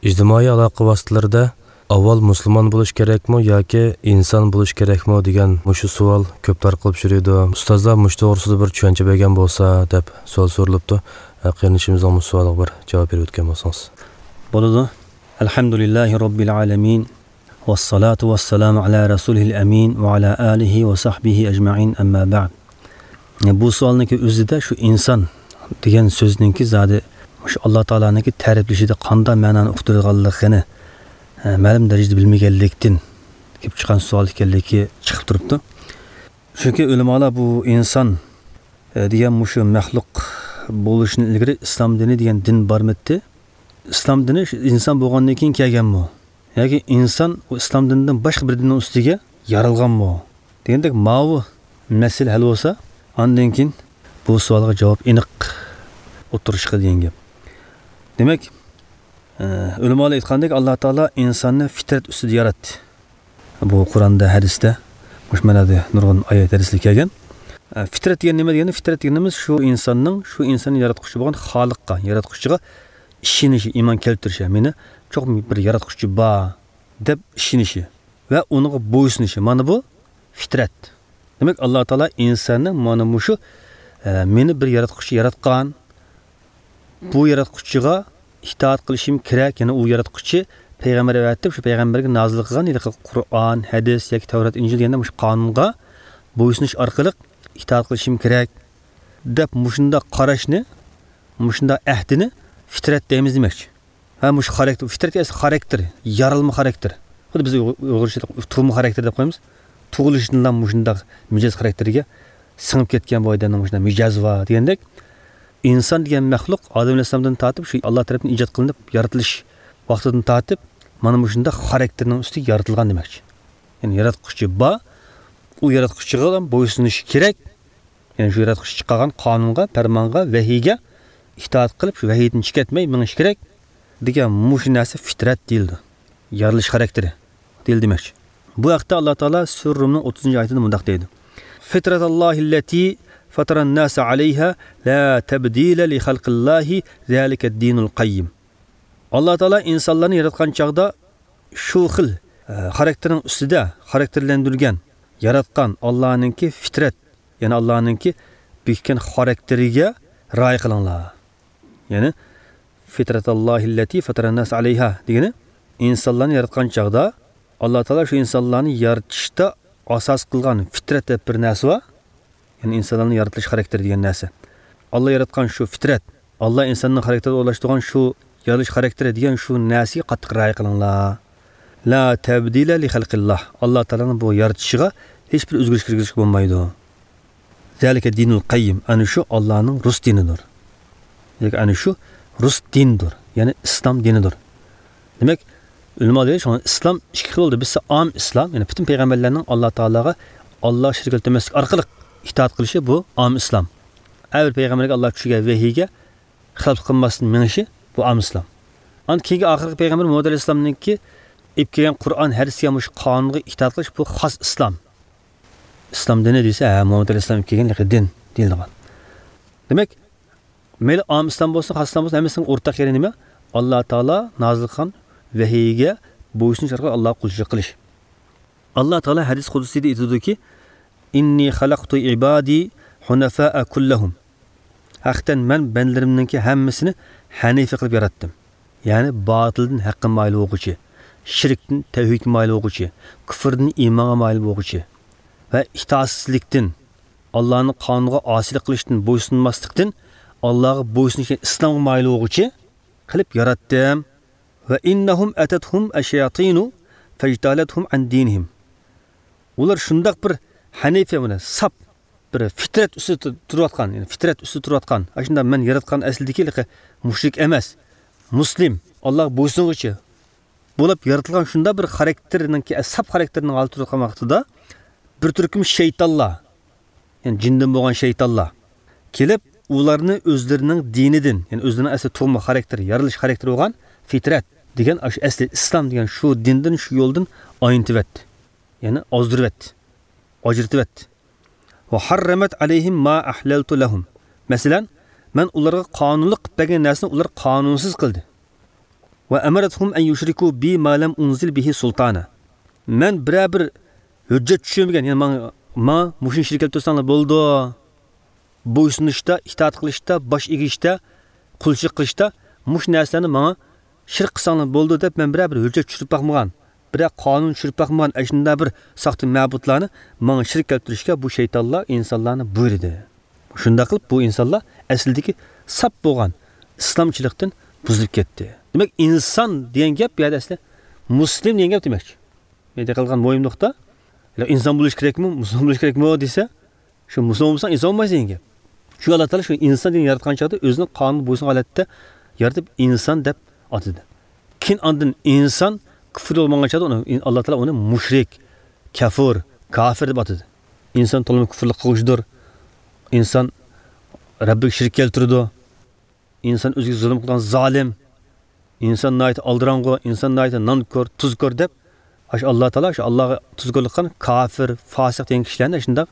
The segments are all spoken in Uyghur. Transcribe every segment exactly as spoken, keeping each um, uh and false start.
ئىجتىمائىي ئالاقە ۋاسىتىلىرىدە ئاۋۋال مۇسۇلمان بولۇش كېرەكمۇ ياكى ئىنسان بولۇش كېرەكمۇ دېگەن مۇشۇ سوئال كۆپ تارقىلىپ يۈرىدۇ. ئۇستازلار مۇشۇ توغرىسىدا بىر چۈشەنچە بەرگەن بولسا دەپ سوئال سورىلىپتۇ. قېرىندىشىمىزنىڭ مۇشۇ سوئالىغا بىر جاۋاب بېرىۋەتكەن بولسىڭىز. بولىدۇ. ئەلھەمدۇلىللاھى راببىل ئالەمىن. ۋەسسالاتۇ ۋەسسالامۇ ئالا رەسۇلىھىل ئەمىن ۋە ئالا ئالىھى ۋە سەھبىھى ئەجمەئىن، ئەمما بەئد. بۇ سوئالنىڭكى ئۆزىدە شۇ ئىنسان دېگەن سۆزنىڭكى زادى مۇشۇ ئاللا تائالانىڭكى تەرىپلىشىدە قانداق مەنانى ئۇقتۇرىدىغانلىقىنى، ئە، مەلۇم دەرىجىدە بىلمىگەنلىكتىن كېلىپ چىققان سوئال ئىكەنلىكى چىقىپ تۇرۇپتۇ. چۈنكى ئۆلىمالار بۇ ئىنسان، ئە، دېگەن مۇشۇ مەخلۇق بولۇشتىن ئىلگىرى ئىسلام دىنى دېگەن دىن بارمىدى؟ ئىسلام دىنى شۇ ئىنسان بولغاندىن كېيىن كەلگەنمۇ؟ ياكى ئىنسان ئۇ ئىسلام دىنىدىن باشقا بىر دىننىڭ ئۈستىگە يارالغانمۇ؟ دېگەندەك ماۋۇ مەسىلە ھەل بولسا، ئاندىن كېيىن بۇ سوئالغا جاۋاب ئېنىق ئوتتۇرىغا چىقىدۇ دېگەن گەپ. دېمەك، ئە، ئۆلىمالار ئېيتقاندەك، ئاللا تائالا ئىنساننى فىترەت ئۈستىدە ياراتتى. بۇ قۇرئاندا، ھەدىستە، مۇشۇ مەنىدە نۇرغۇن ئايەت، ھەدىسلەر كەلگەن. ئە، فىترەت دېگەن نېمە دېگەندە، فىترەت دېگىنىمىز شۇ ئىنساننىڭ، شۇ ئىنساننى ياراتقۇچى بولغان خالىققا، ياراتقۇچىغا ئىشىنىشى، ئىمان كەلتۈرۈشى، مېنى چوقۇم بىر ياراتقۇچى بار دەپ ئىشىنىشى ۋە ئۇنىڭغا بويسۇنۇشى. مانا بۇ فىترەت. دېمەك، ئاللا تائالا ئىنساننى مانا مۇشۇ، ئە، مېنى بىر ياراتقۇچى ياراتقان، بۇ ياراتقۇچىغا ئىتائەت قىلىشىم كېرەك، يەنى ئۇ ياراتقۇچى پەيغەمبەر ئەۋەتىپ، شۇ پەيغەمبەرگە نازىل قىلغان ھېلىقى قۇرئان، ھەدىس ياكى تەۋرات، ئىنجىل دېگەندە مۇشۇ قانۇنغا بويسۇنۇش ئارقىلىق ئىتائەت قىلىشىم كېرەك دەپ مۇشۇنداق قاراشنى، مۇشۇنداق ئەھدىنى فىترەت دەيمىز دېمەكچى. ھە، مۇشۇ خاراكتېر، فىترەت ئەسلى خاراكتېر، يارالما خاراكتېر. خۇددى بىز ئۇيغۇرچە تۇغما خاراكتېر دەپ قويىمىز. تۇغۇلۇشىدىنلا مۇشۇنداق مىجەز خاراكتېرگە سىڭىپ كەتكەن بۇ ئادەمنىڭ مۇشۇنداق مىجەزى بار دېگەندەك، ئىنسان دېگەن مەخلۇق ئادەم ئەلەيھىسسالامدىن تارتىپ شۇ ئاللا تەرەپتىن ئىجاد قىلىنىپ يارىتىلىش ۋاقتىدىن تارتىپ مانا مۇشۇنداق خاراكتېرنىڭ ئۈستىگە يارىتىلغان دېمەكچى. يەنى ياراتقۇچى بار، ئۇ ياراتقۇچىغا بويسۇنۇشى كېرەك. يەنى شۇ ياراتقۇچى چىقارغان قانۇنغا، پەرمانغا، ۋەھىيگە ئىتائەت قىلىپ، شۇ ۋەھىيدىن چىقىپ كەتمەي مېڭىش كېرەك دېگەن مۇشۇ نەرسە فىترەت دېيىلىدۇ. يارىلىش خاراكتېرى دېيىلدى دېمەكچى. بۇ ھەقتە ئاللا تائالا سۈرە رۇمنىڭ ئوتتۇزىنچى ئايىتىدە مۇنداق دەيدۇ: فىترەتاللاھىللەتى فەتەرەنناسە ئەلەيھا لا تەبدىلە لىخەلقىللاھى زالىكەددىنۇل قەييىم. ئاللا تائالا ئىنسانلارنى ياراتقان چاغدا شۇ خىل، ئە، خاراكتېرنىڭ ئۈستىدە خاراكتېرلەندۈرگەن، ياراتقان ئاللانىڭكى فىترەت، يەنى ئاللانىڭكى بېكىتكەن خاراكتېرىگە رىئايە قىلىڭلار. يەنى، فىترەتاللاھىللەتى فەتەرەنناسە ئەلەيھا دېگىنى، ئىنسانلارنى ياراتقان چاغدا ئاللا تائالا شۇ ئىنسانلارنى يارىتىشتا ئاساس قىلغان فىترەت دەپ بىر نەرسە بار. يەنى ئىنسانلارنى يارىتىلىش خاراكتېرى دېگەن نەرسە. ئاللا ياراتقان شۇ فىترەت، ئاللا ئىنساننىڭ خاراكتېرىدا ئورۇنلاشتۇرغان شۇ يارىتىلىش خاراكتېرى دېگەن شۇ نەرسىگە قاتتىق رىئايە قىلىڭلار. لا تەبدىلە لىخەلقىللاھ. ئاللا تائالانىڭ بۇ يارىتىشىغا ھېچبىر ئۆزگىرىش كىرگۈزۈشكە بولمايدۇ. زالىكەددىنۇل قەييىم. ئەنە شۇ ئاللانىڭ رۇس دىنىدۇر. ياكى ئەنە شۇ رۇس دىنىدۇر. يەنى ئىسلام دىنىدۇر. دېمەك، ئۆلىما دەيدۇ، شۇڭا ئىسلام ئىككى خىل بولدى. بىرسى ئام ئىسلام، يەنى پۈتۈن پەيغەمبەرلەرنىڭ ئاللا تائالاغا، ئاللاغا شېرىك كەلتۈرمەسلىك ئارقىلىق ئىتائەت قىلىشى، بۇ ئام ئىسلام. ھەر بىر پەيغەمبەرگە ئاللا چۈشۈرگەن ۋەھىيگە خىلاپلىق قىلماستىن مېڭىشى، بۇ ئام ئىسلام. ئاندىن كېيىنكى ئاخىرقى پەيغەمبەر مۇھەممەد ئەلەيھىسسالامنىڭكى ئېلىپ كەلگەن قۇرئان، ھەدىسكە، مۇشۇ قانۇنغا ئىتائەت قىلىش، بۇ خاس ئىسلام. ئىسلام دىنى دېسە، ھە، مۇھەممەد ئەلەيھىسسالام ئېلىپ كەلگەن دىن دېيىلىدىغان. دېمەك، مەيلى ئام ئىسلام بولسۇن، خاس ئىسلام بولسۇن، ھەممىسىنىڭ ئورتاق يېرى نېمە؟ ئاللا تائالا نازىل قىلغان ۋەھىيگە بويسۇنۇش ئارقىلىق ئاللاغا قۇلچىلىق قىلىش. ئاللا تائالا ھەدىس قۇدسىيدا ئېيتىدۇكى، ئىننى خەلەقتۇ ئىبادى ھۇنەفائە كۇللەھۇم. ھەقىقەتەن مەن بەندىلىرىمنىڭكى ھەممىسىنى ھەنىفە قىلىپ ياراتتىم. يەنى باتىلدىن ھەققە مايىل بولغۇچى، شىركتىن تەۋھىدكە مايىل بولغۇچى، كۇفۇردىن ئىمانغا مايىل بولغۇچى ۋە ئىتائەتسىزلىكتىن، ئاللانىڭ قانۇنىغا ئاسىيلىق قىلىشتىن، بويسۇنماسلىقتىن، ئاللاغا بويسۇنۇشتىن، ئىسلامغا مايىل بولغۇچى قىلىپ ياراتتىم. ۋە ئىننەھۇم ئەتەتھۇم ئەششەياتىنۇ فەجتالەتھۇم ئەن دىنىھىم. ئۇلار شۇنداق بىر ھەنىفە، مانا ساپ، بىر فىترەت ئۈستىدە تۇ-، تۇرۇۋاتقان، يەنى فىترەت ئۈستىدە تۇرۇۋاتقان، ئاشۇنداق مەن ياراتقان ئەسلىدىكى ھېلىقى مۇشرىك ئەمەس، مۇسلىم، ئاللاغا بويسۇنغۇچى بولۇپ يارىتىلغان شۇنداق بىر خاراكتېرنىڭكى، ساپ خاراكتېرنىڭ ھالىتى تۇرۇۋاتقان ۋاقتىدا، بىر تۈركۈم شەيتانلار، يەنى جىندىن بولغان شەيتانلار كېلىپ، ئۇلارنى ئۆزلىرىنىڭ دىنىدىن، يەنى ئۆزلىرىنىڭ ئەسلى تۇغما خاراكتېرى، يارىلىش خاراكتېرى بولغان فىترەت دېگەن ئاشۇ ئەسلى ئىسلام دېگەن شۇ دىندىن، شۇ يولدىن ئاينىتىۋەتتى. يەنى ئازدۇرۇۋەتتى، ئاجرىتىۋەتتى. ۋە ھەررەمەت ئەلەيھىم ما ئەھلەلتۇ لەھۇم. مەسىلەن، مەن ئۇلارغا قانۇنلۇق قىلىپ بەرگەن نەرسىنى ئۇلار قانۇنسىز قىلدى. وأمرتهم أن يشركوا بي ما لم أنزل به سلطانا. مەن بىرەر بىر ھۆججەت چۈشۈرمىگەن، يەنى ماڭا، ماڭا مۇشۇنى شېرىك كەلتۈرسەڭلار بولىدۇ. بويسۇنۇشتا، ئىتائەت قىلىشتا، باش ئېگىشتە، قۇلچىلىق قىلىشتا مۇشۇ نەرسىلەرنى ماڭا شېرىك قىلساڭلار بولىدۇ دەپ مەن بىرەر بىر ھۆججەت چۈشۈرۈپ باقمىغان، بىرەر قانۇن چۈشۈرۈپ باقمىغان، ئاشۇنداق بىر ساختا مەبۇدلارنى ماڭا شېرىك كەلتۈرۈشكە بۇ شەيتانلار ئىنسانلارنى بۇيرۇدى. شۇنداق قىلىپ بۇ ئىنسانلار ئەسلىدىكى ساپ بولغان ئىسلامچىلىقتىن بۇزۇلۇپ كەتتى. دېمەك، ئىنسان دېگەن گەپ بۇ يەردە ئەسلى مۇسلىم دېگەن گەپ دېمەكچى. مەيدە قىلغان مۇھىم نۇقتا، ئىنسان بولۇش كېرەكمۇ، مۇسۇلمان بولۇش كېرەكمۇ دېسە، شۇ مۇسۇلمان بولساڭ ئىنسان بولمايسەن دېگەن گەپ. شۇ ئاللا تائالا شۇ ئىنسان دېگەن ياراتقان چاغدا ئۆزىنىڭ قانۇنىغا بويسۇنغان ھالەتتە يارىتىپ ئىنسان دەپ ئاتىدى. كېيىن ئاندىن ئىنسان كۇفر يولغا ماڭغان چاغدا ئۇنى، ئاللا تائالا ئۇنى مۇشرىك، كەفۇر، كافىر دەپ ئاتىدى. ئىنسان تولىمۇ كۇفرلۇق قىلغۇچىدۇر. ئىنسان رەببىگە شېرىك كەلتۈرىدۇ. ئىنسان ئۆزىگە زۇلۇم قىلغان زالىم. ئىنسان ناھايىتى ئالدىراڭغۇ، ئىنسان ناھايىتى نانكور، تۇزكور دەپ، ئاشۇ ئاللا تائالا شۇ ئاللاغا تۇزكورلۇق قىلغان كافىر، فاسىق دېگەن كىشىلەرنى شۇنداق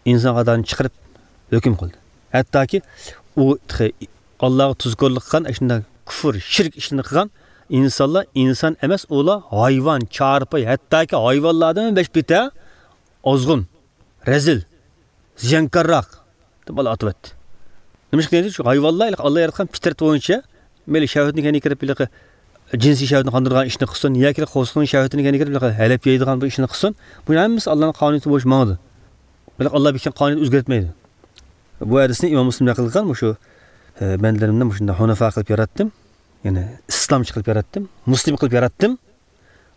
ئىنسان قاتارىدىن چىقىرىپ ھۆكۈم قىلدى. ھەتتاكى ئۇ تېخى ئاللاغا تۇزكورلۇق قىلغان، ئاشۇنداق كۇفر، شىرك ئىشلىرىنى قىلغان ئىنسانلار ئىنسان ئەمەس، ئۇلار ھايۋان، چارپاي، ھەتتاكى ھايۋانلاردىن بەش بەتتەر ئازغۇن، رەزىل، زىيانكارراق دەپ ئاتىۋەتتى. نېمىشقا دېگەندە، شۇ ھايۋانلار ئاللا ياراتقان پىترەت بويىچە مەيلى شەھۋەتنىڭ كەينىگە كىرىپ، ھېلىقى جىنسىي شەھۋەتنى قاندۇرىدىغان ئىشنى قىلسۇن ياكى قورسىقىنىڭ شەھۋىتىنىڭ كەينىگە كىرىپ، ھېلىقى ھەلەپ يەيدىغان بىر ئىشنى قىلسۇن، بۇ ھەممىسى ئاللانىڭ قانۇنىيىتى بويىچە ماڭىدۇ. بىراق ئاللا بېكىتكەن قانۇنىيەت ئۆزگەرتمەيدۇ. بۇ ھەدىسنى ئىمام مۇسلىم نەقىل قىلغان، مۇشۇ، ئە، بەندىلىرىمنى مۇشۇنداق ھۇنەفا قىلىپ ياراتتىم. يەنى ئىسلامچى قىلىپ ياراتتىم. مۇسلىم قىلىپ ياراتتىم.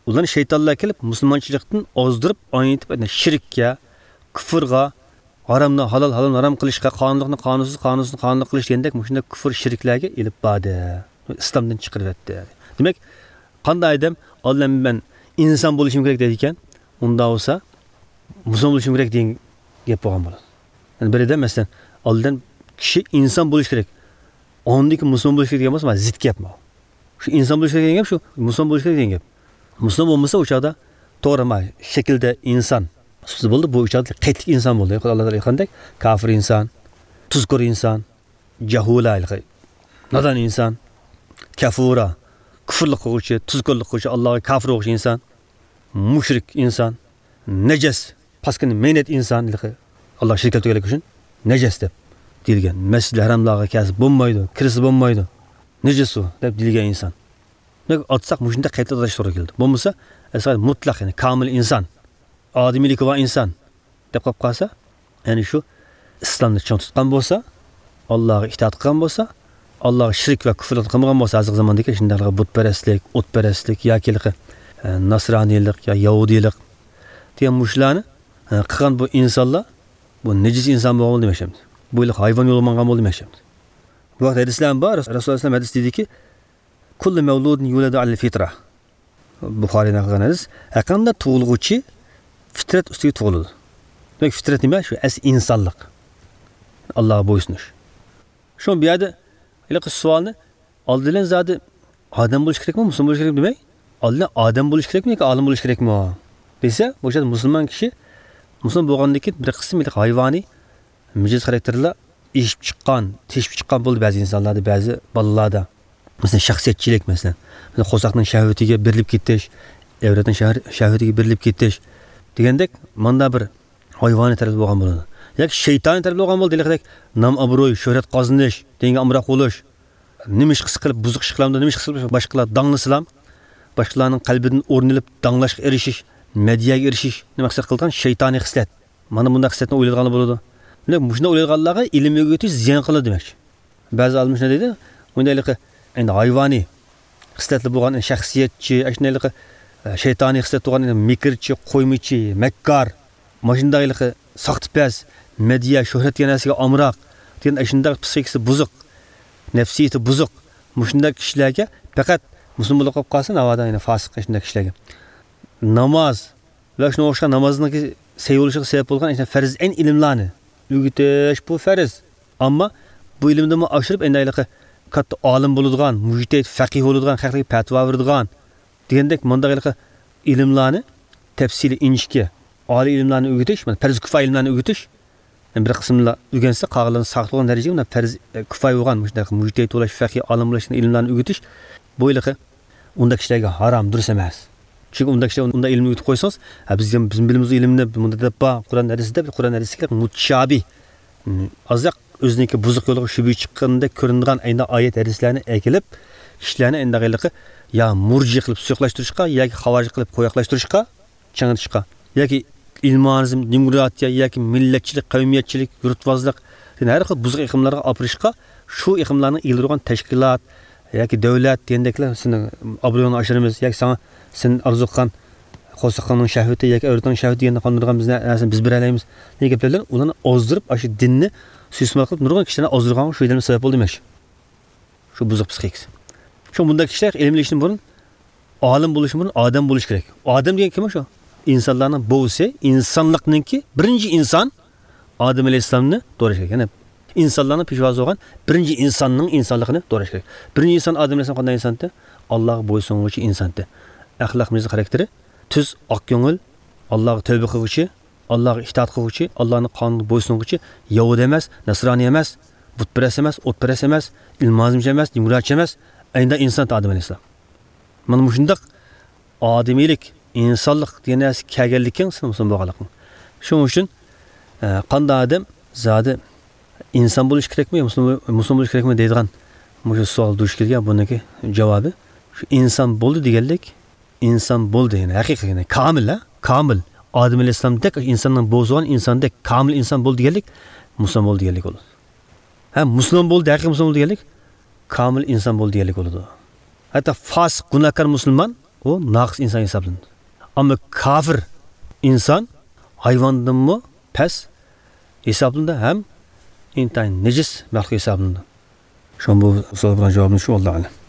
ئۇلارنى شەيتانلار كېلىپ مۇسۇلمانچىلىقتىن ئازدۇرۇپ، ئاينىتىپ، شىرككە، كۇفرغا، ھارامنى ھالال، ھالالنى ھارام قىلىشقا، قانۇنلۇقنى قانۇنسىز، قانۇنسىزنى قانۇنلۇق قىلىش دېگەندەك مۇشۇنداق كۇفر شىركلەرگە ئېلىپ باردى. ئىسلامدىن چىقىرىۋەتتى. دېمەك، قانداق ئادەم ئالدىن مەن ئىنسان بولۇشۇم كېرەك دەيدىكەن، ئۇنداق بولسا مۇسۇلمان بولۇشۇم كېرەك دېگەن گەپ بولغان بولىدۇ. يەنى بىر ئادەم مەسىلەن، ئالدىن كىشى ئىنسان بولۇش كېرەك، ئاندىن كېيىن مۇسۇلمان بولۇش كېرەك دېگەن بولسا، مانا زىت گەپ بۇ. شۇ ئىنسان بولۇش كېرەك دېگەن گەپ، شۇ مۇسۇلمان بولۇش كېرەك دېگەن گەپ. مۇسۇلمان بولمىسا، ئۇ چاغدا توغرا، ما، شەكىلدە ئىنسان سۈپىتى بولدى، بۇ ئۇ چاغدا قەيتلىك ئىنسان بولدى. ئاللا تائالا ئېيتقاندەك، كافىر ئىنسان، تۇزكور ئىنسان، جەھۇلا، نادان ئىنسان، كەفۇرا، كۇفرلۇق قىلغۇچى، تۇزكورلۇق قىلغۇچى، ئاللاغا كافىر بولغۇچى ئىنسان، مۇشرىك ئىنسان، نەجەس، پاسكىنا مەينەت ئىنسان، ھېلىقى ئاللا شېرىك كەلتۈرگەنلىكى ئۈچۈن نەجەس دەپ دېيىلگەن. مەسجىدىل ھەراملارغا كەلسە بولمايدۇ، كىرسە بولمايدۇ، نەجىس ئۇ دەپ دېيىلگەن ئىنسان. دېمەك، ئاتىساق مۇشۇنداق قەيتىدە ئاتاش توغرا كېلىدۇ. بولمىسا، ئەسلى مۇتلەق، يەنى كامىل ئىنسان، ئادىمىيلىكى بار ئىنسان دەپ قاپ قالسا، يەنى شۇ ئىسلامنى چىڭ تۇتقان بولسا، ئاللاغا ئىتائەت قىلغان بولسا، ئاللاغا شىرك ۋە كۇفرلۇق قىلمىغان بولسا، ھازىرقى زاماندىكى شۇنداقلىقى بۇتپەرەسلىك، ئوتپەرەسلىك ياكى ھېلىقى، ئە، ناسرانىيلىق يا يەھۇدىيلىق دېگەن مۇشۇلارنى، ئە، قىلغان بۇ ئىنسانلار، بۇ نىجىس ئىنسان بولغان بولدى دېمەكچىمىز. بۇ ھېلىقى ھايۋان يولىغا ماڭغان بولدى دېمەكچىمىز. بۇ ھەقتە ھەدىسلەر بار. رەسۇلۇللاھ ئەلەيھىسسالام ھەدىس دېدىكى، كۇللۇ مەۋلۇدىن يۇلەدۇ ئەلەل فىترە. بۇخارى نەقىل قىلغان ھەدىس. ھەرقانداق تۇغۇلغۇچى فىترەت ئۈستىگە تۇغۇلىدۇ. دېمەك، فىترەت نېمە؟ شۇ ئەسلى ئىنسانلىق. ئاللاغا بويسۇنۇش. شۇڭا بۇ يەردە ھېلىقى سوئالنى ئالدى بىلەن زادى ئادەم بولۇش كېرەكمۇ، مۇسۇلمان بولۇش كېرەكمۇ دېمەي، ئالدى بىلەن ئادەم بولۇش كېرەكمۇ ياكى ئالىم بولۇش كېرەكمۇ دېسە، بۇ يەردە مۇسۇلمان كىشى مۇسۇلمان بولغاندىن كېيىن بىر قىسىم ھېلىقى ھايۋانىي مىجەز خاراكتېرلار ئېشىپ چىققان، تېشىپ چىققان بولدى بەزى ئىنسانلاردا، بەزى بالىلاردا. مەسىلەن، شەخسىيەتچىلىك، مەسىلەن، مەسىلەن، قورساقنىڭ شەھۋىتىگە بېرىلىپ كېتىش، ئەۋرەتنىڭ شەھۋىتىگە بېرىلىپ كېتىش دېگەندەك، ماندا بىر ھايۋانىي تەرەپتە بولغان بولىدۇ. ياكى شەيتانىي تەرەپتە بولغان بولىدۇ، ھېلىقىدەك نام-ئابرۇي، شۆھرەت قازىنىش، دىنگە ئامراق بولۇش، نېمە ئىش قىلسا قىلىپ، بۇزۇق ئىش قىلامدۇ، نېمە ئىش قىلسا قىلىپ باشقىلار داڭلىسىلام، باشقىلارنىڭ قەلبىدىن ئورۇن ئېلىپ، داڭلاشقا ئېرىشىش، مەدھىيەگە ئېرىشىش، نېمە مەقسەت قىلىدىغان شەيتانىي خىسلەت. مانا بۇنداق خىسلەتنى ئويلايدىغانلار بولىدۇ. دېمەك، مۇشۇنداق ئويلايدىغانلارغا ئىلىم ئۆگىتىش زىيان قىلىدۇ دېمەكچى. بەزى ئالىملار شۇنداق دەيدۇ، ئۇنداق ھېلىقى ئەمدى ھايۋانىي خىسلەتلىرى بولغان شەخسىيەتچى، ئاشۇنداق ھېلىقى، ئە، شەيتانىي خىسلەت بولغان مىكىرچى، قويمىچى، مەككار، ماشۇنداق ھېلىقى ساختىپەز، مەدھىيە، شۆھرەت دېگەن نەرسىگە ئامراق، دېگەن ئاشۇنداق پسىخىكىسى بۇزۇق، نەپسىيىتى بۇزۇق، مۇشۇنداق كىشىلەرگە پەقەت مۇسۇلمان بولۇپ قالسا، ناۋادا يەنە فاسىق ئاشۇنداق كىشىلەرگە ناماز، ۋە شۇنىڭغا ئوخشىغان نامازنىڭكى سەھىي بولۇشىغا سەۋەب بولغان ئەشۇنداق پەرز ئەين ئىلىملارنى ئۆگىتىش، بۇ پەرز. ئەمما بۇ ئىلىمدىنمۇ ئاشۇرۇپ، ئەمدى ھېلىقى كاتتا ئالىم بولىدىغان، مۇجتەھىد، فەقىھ بولىدىغان، خەلققە پەتىۋا بېرىدىغان دېگەندەك مۇنداق ھېلىقى ئىلىملارنى تەپسىلىي، ئىنچىكە، ئالىي ئىلىملارنى ئۆگىتىش، مانا پەرز كۇپايە ئىلىملارنى ئۆگىتىش، يەنى بىر قىسىملا ئۆگەنسە، قالغانلىرىنى ساقىت بولغان دەرىجىگە مۇنداق پەرز، ئە، كۇپايە بولغان مۇشۇنداق مۇجتەھىد بولۇش، فەقىھ، ئالىم بولۇش ئىلىملارنى ئۆگىتىش، بۇ ھېلىقى ئۇنداق كىشىلەرگە ھارام، دۇرۇس ئەمەس. چۈنكى ئۇنداق كىشىلەر ئۇنداق ئىلىمنى ئۆگىتىپ قويسىڭىز، ھە، بىز، بىز بىلىمىز ئىلىمنى، بۇندا دەپ بار، قۇرئان ھەدىستە دەپ، قۇرئان ھەدىستىكى مۇتشابىھ، ئازراق ئۆزىنىڭكى بۇزۇق يولىغا شۈبھە چىققاندەك كۆرۈنىدىغان ئەينى ئايەت ھەدىسلەرنى ئەكېلىپ، كىشىلەرنى ئەينى ھېلىقى يا مۇرجى قىلىپ سۇيۇقلاشتۇرۇشقا ياكى خاۋارىج قىلىپ قويۇقلاشتۇرۇشقا، چىڭىتىشقا ياكى ئىلمانىزم، دېموكراتىيە ياكى مىللەتچىلىك، قەۋمىيەتچىلىك، يۇرتۋازلىق، يەنى ھەر خىل بۇزۇق ئېقىملارغا ئاپىرىشقا، شۇ ئېقىملارنىڭ ئىگىلىرى بولغان تەشكىلات ياكى دۆلەت دېگەندەكلەر سېنىڭ ئابرۇيۇڭنى ئاشۇرىمىز ياكى ساڭا، سەن ئارزۇ قىلغان قورسىقىڭنىڭ شەھۋىتى ياكى ئەۋلادىڭنىڭ شەھۋىتى دېگەندەك قاندۇرغان بىز نەرسىنى بىز بېرەلەيمىز دېگەن گەپلەر بىلەن ئۇلارنى ئازدۇرۇپ، ئاشۇ دىننى سۇيىئىستېمال قىلىپ نۇرغۇن كىشىلەرنى ئازدۇرغانغا شۇ ئىلىم سەۋەب بولدى دېمەكچى. شۇ بۇزۇق پسىخىكىسى. شۇ بۇنداق كىشىلەر ئىلىم ئېلىشتىن بۇرۇن، ئالىم بولۇشتىن بۇرۇن ئادەم بولۇش كېرەك. ئادەم دېگەن كىم شۇ؟ ئىنسانلارنىڭ بوۋىسى، ئىنسانلىقنىڭكى بىرىنچى ئىنسان ئادەم ئەلەيھىسسالامنى دوراش كېرەك. يەنى ئىنسانلارنىڭ پېشۋاسى بولغان بىرىنچى ئىنساننىڭ ئىنسانلىقىنى دوراش كېرەك. بىرىنچى ئىنسان ئادەم ئەلەيھىسسالام قانداق ئىنسانتى؟ ئاللاغا بويسۇنغۇچى ئىنسانتى. ئەخلاق مىجەز خاراكتېرى تۈز، ئاق كۆڭۈل، ئاللاغا تەۋبە قىلغۇچى، ئاللاغا ئىتائەت قىلغۇچى، ئاللانىڭ قانۇنىغا بويسۇنغۇچى، يەھۇدىي ئەمەس، نەسرانىي ئەمەس، بۇتپەرەس ئەمەس، ئوتپەرەس ئەمەس، ئىلمانىزمچى ئەمەس، دېموكراتچى ئەمەس، ئەينىدە ئىنسان ئادەم ئەلەيھىسسالام. مانا مۇشۇنداق ئادىمىيلىك، ئىنسانلىق دېگەن نەرسە كەلگەنلىكىڭ سېنىڭ مۇسۇلمان بولغانلىقىڭ. شۇنىڭ ئۈچۈن، ئە، قانداق ئادەم زادى ئىنسان بولۇش كېرەكمۇ، مۇسۇلمان، مۇسۇلمان بولۇش كېرەكمۇ دەيدىغان مۇشۇ سوئال دۇچ كەلگەن. بۇنىڭكى جاۋابى شۇ، ئىنسان بولدى دېگەنلىك، ئىنسان بولدى، يەنى ھەقىقىي، يەنى كامىل، ھە؟ كامىل. ئادەم ئەلەيھىسسالامدەك ئىنساننىڭ بوزۇغان ئىنساندەك كامىل ئىنسان بولدى دېگەنلىك مۇسۇلمان بولدى دېگەنلىك بولىدۇ. ھە، مۇسۇلمان بولدى، ھەقىقىي مۇسۇلمان بولدى دېگەنلىك كامىل ئىنسان بولدى دېگەنلىك بولىدۇ. ھەتتا فاسىق، گۇناھكار مۇسۇلمان، ئۇ ناقىس ئىنسان ھېسابلىنىدۇ. ئەمما كافىر ئىنسان ھايۋاندىنمۇ پەس ھېسابلىنىدۇ ھەم ئىنتايىن نىجىس مەخلۇق ھېسابلىنىدۇ. شۇڭا بۇ سوئال بىلەن جاۋابىمىز شۇ، ۋاللاھۇ ئەلەم.